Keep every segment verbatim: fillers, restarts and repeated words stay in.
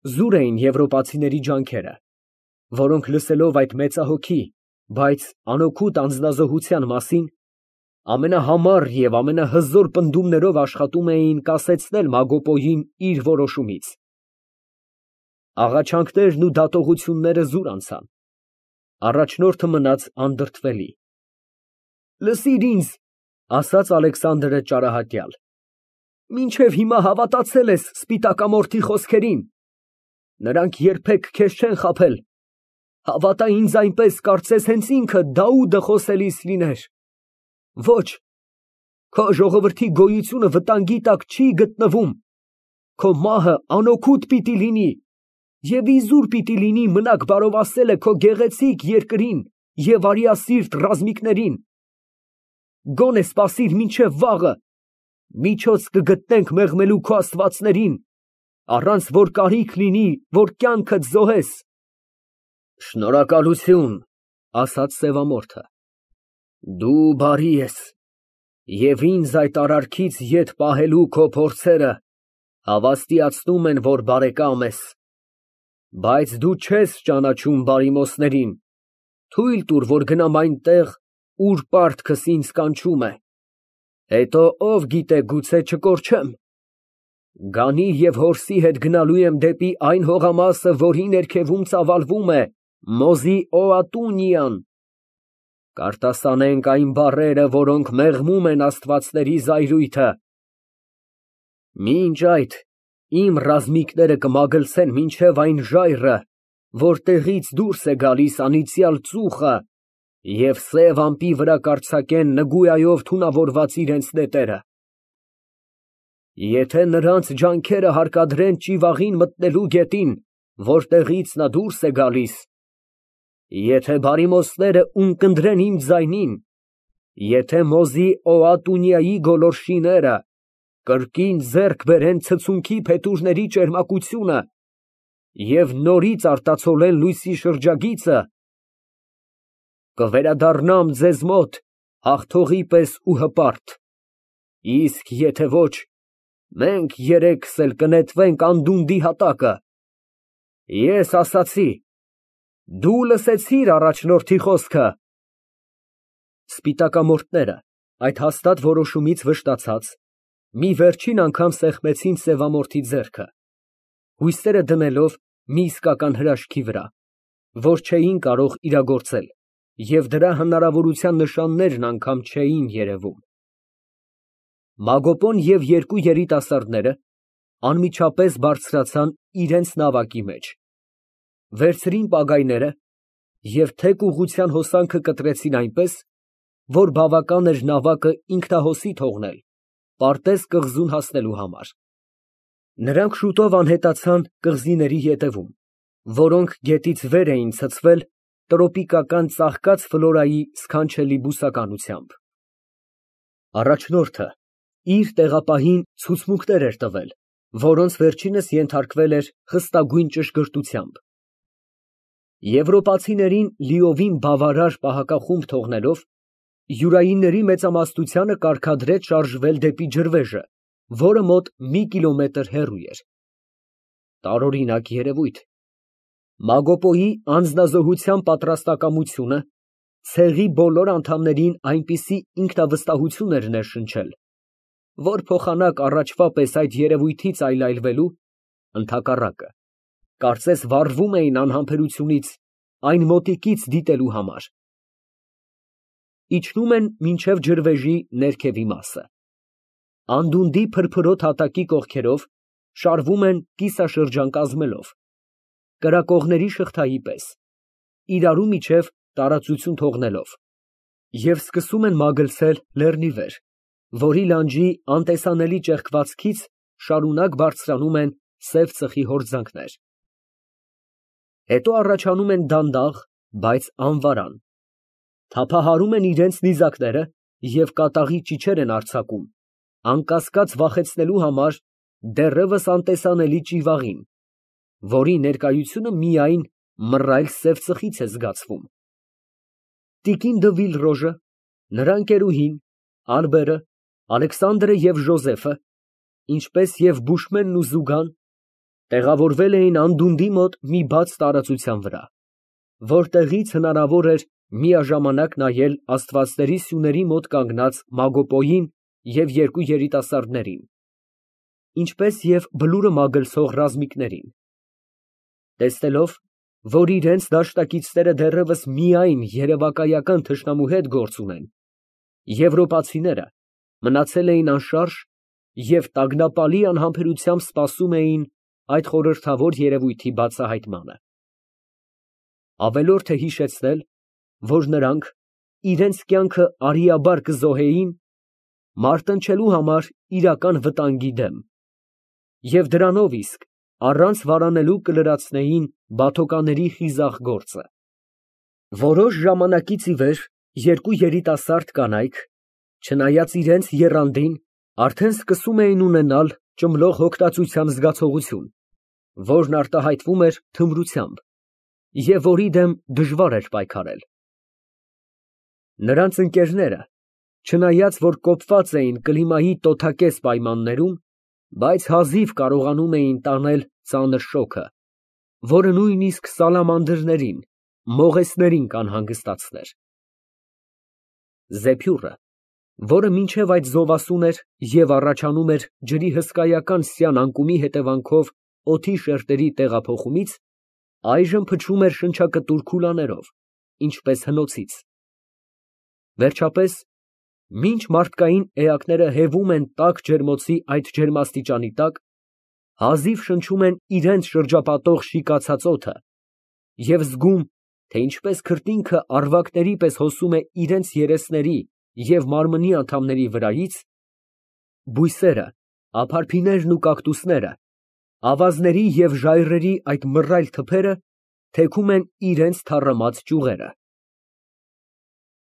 Զուր էին եվրոպացիների ջանքերը, որոնք լսելով այդ մեծահոգի, բայց անօգուտ անձնազոհության մասին, ամենահամար և ամենահզոր պնդումներով աշխատում էին կասեցնել Մագոպոյին իր որոշումից։ Աղաչանքներն ու դատողությունները զուր անցան, առաջնորդը մնաց անդրդվելի։ ֊ Լսիր ինձ, ֊ ասաց Ալեքսանդրը ճարահատյալ, ֊ մինչև հիմա հավատացել ես սպիտակամորթի խոսքերին. նրանք երբեք քեզ չեն խաբել, հավատա ինձ այնպես, կարծես հենց ինքը Դաուդը խոսելիս լիներ։ Ոչ, քո ժողովրդի գոյությունը վտանգի տակ չի գտնվում, քո մահը անօգուտ պիտի լինի, և իզուր պիտի լինի մնաք բարովասելը քո գեղեցիկ երկրին և արիասիրտ ռազմիկներին։ Գոնե սպասիր մինչև վաղը, միջոց կգտնենք մեղմելու քո աստվածներին, առանց որ կարիք լինի, որ կյանքդ զոհես։ Շնորհակալություն, ֊ ասաց սևամորթը, ֊ դու բարի ես և ինձ այդ արարքից ետ պահելու քո փորձերը հավաստիացնում են, որ բարեկամ ես, բայց դու չես ճանաչում բարիմոսներին, թույլ տուր, որ գնամ այնտեղ, ուր պարտքս ինձ կանչում է, հետո ով գիտե գուցե չկորչեմ, գանի և որսի հետ գնալու եմ դեպի այն հողամասը, որի ներքևում ծավալվում է Մոզի֊Օատունիան, կարտասանենք այն բառերը, որոնք մեղմում են աստվածների զայրույթը։ Մինչ այդ իմ ռազմիկները կմագլցեն մինչև այն ժայռը, որտեղից դուրս է գալիս անիծյալ ծուխը, և սև ամպի վրա կարձակեն նգույայով թունավորված իրենց նետերը։ Եթե նրանց ջանքերը հարկադրեն ճիվաղին մտնելու գետին, որտեղից նա դուրս է գալիս, եթե բարիմոսները ունկնդրեն իմ ձայնին, եթե Մոզի֊Օատունիայի գոլորշիները կրկին ձեռք բերեն ցցունքի փետուրների ճերմակությունը և նորից արտացոլեն լույսի շրջագիծը, կվերադառնամ ձեզ մոտ հաղթողի պես ու հպարտ, իսկ եթե ոչ, մենք երեքս էլ կնետվենք անդունդի հատակը։ Ես ասացի, դու լսեցի՞ր առաջնորդի խոսքը։ Սպիտակամորթները այդ հաստատ որոշումից վշտացած, մի վերջին անգամ սեղմեցին սևամորթի ձեռքը, հույսերը դնելով մի իսկական հրաշքի վրա, որ չէին կարող իրագործել, և դրա հնարավորության նշաններն անգամ չէին երևում։ Մագոպոն և երկու երիտասարդները անմիջապես բարձրացան իրենց նավակի մեջ, վերցրին պագայները և թեք ուղղության հոսանքը կտրեցին այնպես, որ բավական էր նավակը ինքնահոսի թողնել պարտեզ կղզուն հասնելու համար։ Նրանք շուտով անհետացան կղզիների ետևում, որոնք գետից վեր էին ցցվել տրոպիկական ծաղկած ֆլորայի սքանչելի բուսականությամբ։ Առաջնորդը իր տեղապահին ցուցմունքներ էր տվել, որոնց վերջինս ենթարկվել էր խստագույն ճշգրտությամբ։ Եվրոպացիներին լիովին բավարար պահակախումբ թողնելով, յուրայինների մեծամասնությանը կարգադրեց շարժվել դեպի ջրվեժը, որը մոտ մի կիլոմետր հեռու էր։ Տարօրինակ երևույթ։ Մագոպոյի անձնազոհության պատրաստակամությունը ցեղի բոլոր անդամներին այնպիսի ինքնավստահություն էր ներշնչել, որ փոխանակ առաջվա պես այդ երևույթից այլայլվելու, ընդհակառակը, կարծես վառվում էին անհամբերությունից այն մոտիկից դիտելու համար։ Իջնում են մինչև ջրվեժի ներքևի մասը։ Անդունդի փրփրոտ հատակի կողքերով շարվում են կիսաշրջան կազմելով, կրակողների շղթայի պես, իրարու միջև տարածություն թողնելով, և սկսում են մագլցել լեռնի վեր, որի լանջի անտեսանելի ճեղքվածքից շարունակ բարձրանում են սև ծխի հորձանքներ։ Հետո առաջանում են դանդաղ, բայց անվարան, թափահարում են իրենց նիզակները և կատաղի ճիչեր են արձակում, անկասկած վախեցնելու համար դեռևս անտեսանելի ճիվաղին, որի ներկայությունը միայն մռայլ սև ծխից է զգացվում։ Տիկին դը Վիլրոժը, նրա ընկերուհին, Ալբերը, Ալեքսանդրը և Ժոզեֆը, ինչպես և Բուշմենն ու Զուգան, Տեղավորվել էին անդունդի մոտ մի բաց տարածության վրա, որտեղից հնարավոր էր միաժամանակ նայել աստվածների սյուների մոտ կանգնած Մագոպոյին և երկու երիտասարդներին, ինչպես և բլուրը մագլցող ռազմիկներին։ Տեսնելով, որ իրենց դաշնակիցները դեռևս միայն երևակայական թշնամու հետ գործ ունեն, եվրոպացիները մնացել էին անշարժ և տագնապալի անհամբերությամբ սպասում էին այդ խորհրդավոր երևույթի բացահայտմանը։ Ավելորդ է հիշեցնել, որ նրանք իրենց կյանքը արիաբար կզոհեին մարտնչելու համար իրական վտանգի դեմ և դրանով իսկ առանց վարանելու կլրացնեին բաթոկաների խիզախ գործը։ Որոշ ժամանակից ի վեր երկու երիտասարդ կանայք, չնայած իրենց եռանդին, արդեն սկսում էին ունենալ ճմլող հոգտածության զգացողություն, որն արտահայտվում էր թմրությամբ և որի դեմ դժվար էր պայքարել։ Նրանց ընկերները, չնայած որ կոպված էին կլիմայի տոթակեզ պայմաններում, բայց հազիվ կարողանում էին տանել ծանր շոգը, որը նույնիսկ սալամանդրներին, մողեսներին կանհանգստացներ։ Զեփյուռը, որը մինչև այդ զովասուն էր և առաջանում էր ջրի հսկայական սյան անկումի հետևանքով օդի շերտերի տեղափոխումից, այժմ փչում էր շնչակտուր քուլաներով, ինչպես հնոցից։ Վերջապես, մինչ մարդկային էակները հևում են տաք ջերմոցի այդ ջերմաստիճանի տակ, հազիվ շնչում են իրենց շրջապատող շիկացած օդը և զգում, թե ինչպես քրտինքը առվակների պես հոսում է իրենց երեսների և մարմնի անդամների վրայից, բույսերը, ափարփիներն ու կակտուսները, ավազների և ժայռերի այդ մռայլ թփերը թեքում են իրենց թառամած ճյուղերը։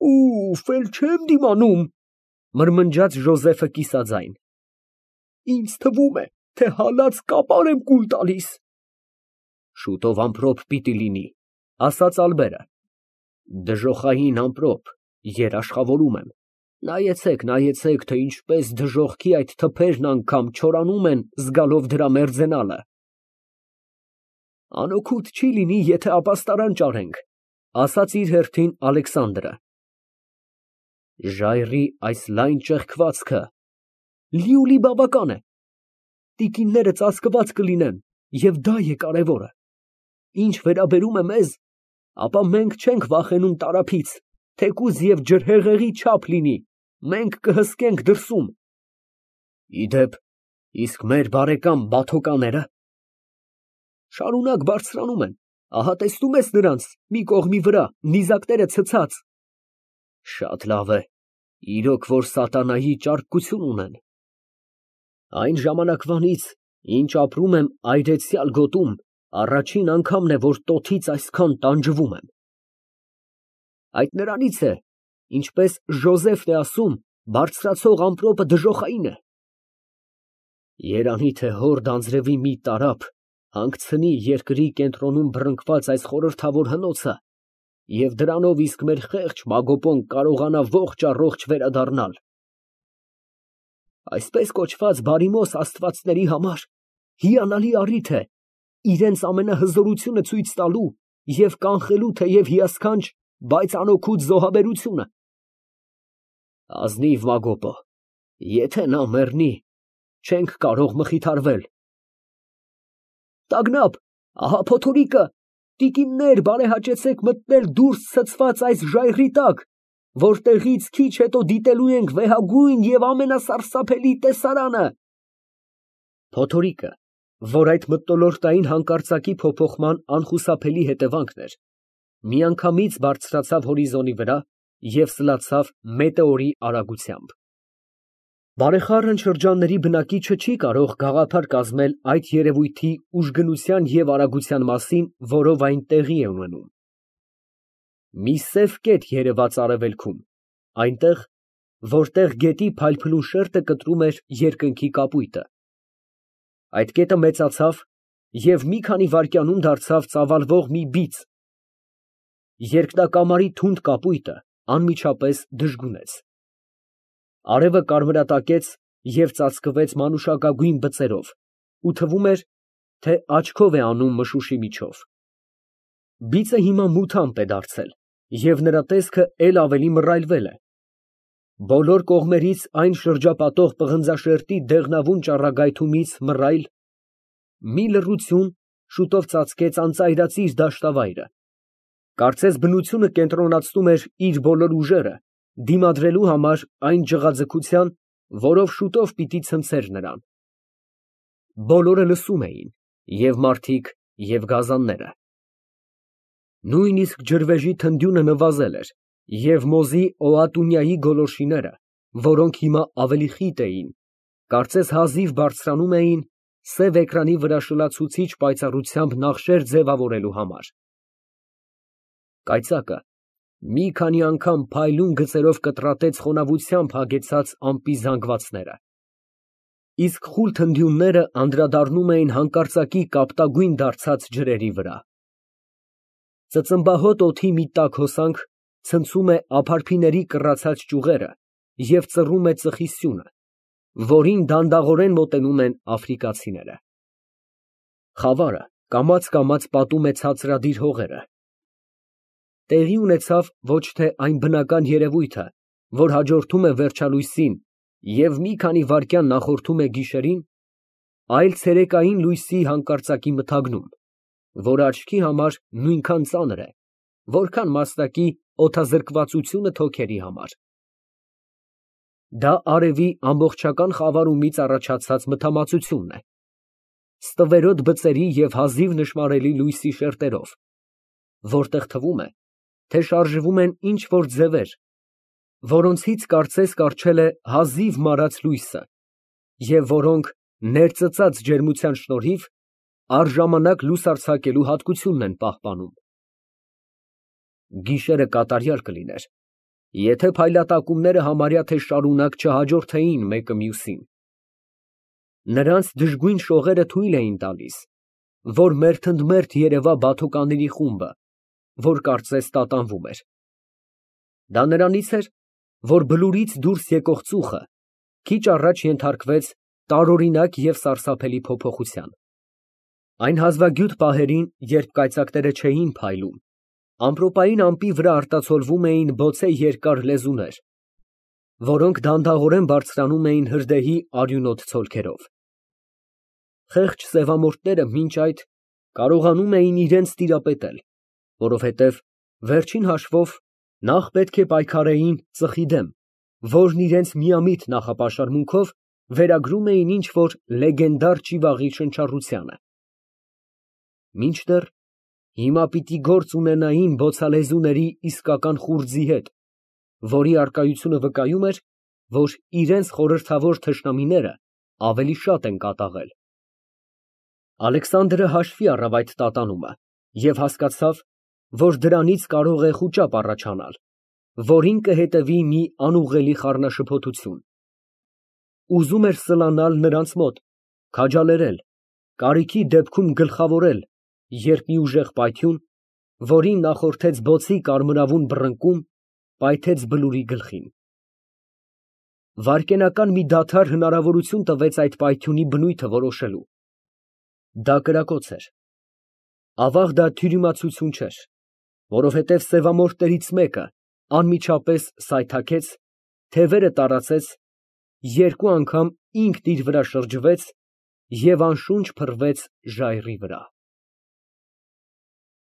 «Ուֆ, էլ չեմ դիմանում», ֊ մրմնջաց Ժոզեֆը կիսաձայն։ «Ինձ թվում է, թե հալած կապար եմ կուլ տալիս»։ «Շուտով ամպրոպ պիտի լինի», ֊ ասաց Ալբերը։ «Դժոխային ամպրոպ, երաշխավորում եմ, նայեցեք, նայեցեք, թե ինչպես դժոխքի այդ թփերն անգամ չորանում են, զգալով դրա մերձենալը»։ «Անօգուտ չի լինի, եթե ապաստարան ճարենք», ֊ ասաց իր հերթին Ալեքսանդրը։ «Ժայռի այս լայն ճեղքվածքը լիուլի բավական է։ Տիկինները ծածկված կլինեն, և դա է կարևորը։ Ինչ վերաբերում է մեզ, ապա մենք չենք վախենում տարափից, թեկուզ և ջրհեղեղի չափ լինի, մենք կհսկենք դրսում»։ «Ի դեպ, իսկ մեր բարեկամ բաթոկանե՞րը»։ «Շարունակ բարձրանում են, ահա տեսնում ես նրանց, մի կողմի վրա, նիզակները ցցած»։ «Շատ լավ է, իրոք որ սատանայի ճարպկություն ունեն։ Այն ժամանակվանից, ինչ ապրում եմ այրեցյալ գոտում, առաջին անգամն է, որ տոթից այսքան տանջվում եմ։ Այդ նրանից է, ինչպես Ժոզեֆն է ասում, բարձրացող ամպրոպը դժոխային է։ Երանի թե հորդ անձրևի մի տարափ հանգցնի երկրի կենտրոնում բռնկված այս խորհրդավոր հնոցը, և դրանով իսկ մեր խեղճ Մագոպոն կարողանա ողջ առողջ վերադառնալ։ Այսպես կոչված բարիմոս աստվածների համար հիանալի առիթ է իրենց ամենահզորությունը ցույց տալու և կանխելու թեև հիասքանչ, բայց անօգուտ զոհաբերությունը։ Ազնիվ Մագոպո, եթե նա մեռնի, չենք կարող մխիթարվել։ Տագնապ, ահա փոթորիկը, տիկիններ, բարեհաճեցեք մտնել դուրս ցցված այս ժայռի տակ, որտեղից քիչ հետո դիտելու ենք վեհագույն և ամենասարսափելի տեսարանը։ Փոթորիկը, որ այդ մթնոլորտային հանկարծակի փոփոխման անխուսափելի հետևանքն էր, միանգամից բարձրացավ հորիզոնի վրա և սլացավ մետեորի արագությամբ։ Բարեխառն շրջանների բնակիչը չի կարող գաղափար կազմել այդ երևույթի ուժգնության և արագության մասին, որով այն տեղի է ունենում։ Մի սև կետ երևաց արևելքում, այնտեղ, որտեղ գետի փայլփլուն շերտը կտրում էր երկնքի կապույտը։ Այդ կետը մեծացավ և մի քանի վայրկյանում դարձավ ծավալվող մի բիծ։ Երկնակամարի թունդ կապույտը անմիջապես դժգունեց։ Արևը կարմրատակեց և ծածկվեց մանուշակագույն բծերով ու թվում էր, թե աչքով է անում մշուշի միջով։ Բիծը հիմա մութամp է դարձել և նրա տեսքը էլ ավելի մռայլվել է։ Բոլոր կողմերից այն շրջապատող պղնձաշերտի դեղնավուն ճառագայթումից մռայլ մի լռություն շուտով ծածկեց անծայրածիր դաշտավայրը, կարծես բնությունը կենտրոնացնում էր իր բոլոր ուժերը դիմադրելու համար այն ջղաձգության, որով շուտով պիտի ցնցեր նրան։ Բոլորը լսում էին, և մարդիկ, և գազանները։ Նույնիսկ ջրվեժի թնդյունը նվազել էր, և մոզի օղատունյայի գոլորշիները, որոնք հիմա ավելի խիտ էին, կարծես հազիվ բարձրանում էին սև էկրանի վրա շլացուցիչ պայծառությամբ նախշեր ձևավորելու համար։ Կայծակը մի քանի անգամ փայլուն գծերով կտրատեց խոնավությամբ հագեցած ամպի զանգվածները, իսկ խուլ թնդյունները անդրադառնում էին հանկարծակի կապտագույն դարձած ջրերի վրա։ Ծծմբահոտ օդի մի տաք հոսանք ցնցում է ափարփիների կռացած ճյուղերը և ծռում է ծխի սյունը, որին դանդաղորեն մոտենում են աֆրիկացիները։ Խավարը կամաց֊կամաց պատում է ցածրադիր հողերը։ Տեղի ունեցավ ոչ թե այն բնական երևույթը, որ հաջորդում է վերջալույսին և մի քանի վայրկյան նախորդում է գիշերին, այլ ցերեկային լույսի հանկարծակի մթագնում, որ աչքի համար նույնքան ծանր է, որքան մաստակի օդազրկվածությունը թոքերի համար։ Դա արևի ամբողջական խավարումից առաջացած մթամածությունն է, ստվերոտ բծերի և հազիվ նշմարելի լույսի շերտերով, որտեղ թվում է, թե շարժվում են ինչ֊որ ձևեր, որոնցից կարծես կառչել է հազիվ մարած լույսը, և որոնք ներծծած ջերմության շնորհիվ առժամանակ լուսարձակելու հատկությունն են պահպանում։ Գիշերը կատարյալ կլիներ, եթե փայլատակումները համարյա թե շարունակ չհաջորդեին մեկը մյուսին։ Նրանց դժգույն շողերը թույլ էին տալիս, որ մերթընդմերթ երևա բաթոկաների խումբը, որ կարծես տատանվում էր։ Դա նրանից էր, որ բլուրից դուրս եկող ծուխը քիչ առաջ ենթարկվեց տարօրինակ և սարսափելի փոփոխության։ Այն հազվագյուտ պահերին, երբ կայծակները չէին փայլում, ամպրոպային ամպի վրա արտացոլվում էին բոցե երկար լեզուներ, որոնք դանդաղորեն բարձրանում էին հրդեհի արյունոտ ցոլքերով։ Խեղճ սևամորթները մինչ այդ կարողանում էին իրենց տիրապետել, որովհետև, վերջին հաշվով, նախ պետք է պայքարեին ծխի դեմ, որն իրենց միամիտ նախապաշարմունքով վերագրում էին ինչ֊որ լեգենդար ճիվաղի շնչառությանը։ Մինչդեռ հիմա պիտի գործ ունենային բոցալեզուների իսկական խուրձի հետ, որի առկայությունը վկայում էր, որ իրենց խորհրդավոր թշնամիները ավելի շատ են կատաղել։ Ալեքսանդրը հաշվի առավ այդ տատանումը և հասկացավ, որ դրանից կարող է խուճապ առաջանալ, որին կհետևի մի անուղղելի խառնաշփոթություն։ Ուզում էր սլանալ նրանց մոտ, քաջալերել, կարիքի դեպքում գլխավորել, երբ մի ուժեղ պայթյուն, որին նախորդեց բոցի կարմրավուն բռնկում, պայթեց բլուրի գլխին։ Վայրկենական մի դադար հնարավորություն տվեց այդ պայթյունի բնույթը որոշելու։ Դա կրակոց էր։ Ավաղ դա թյուրիմացություն չէր, որովհետև սևամորթներից մեկը անմիջապես սայթաքեց, թևերը տարածեց, երկու անգամ ինքն իր վրա շրջվեց և անշունչ փռվեց ժայռի վրա։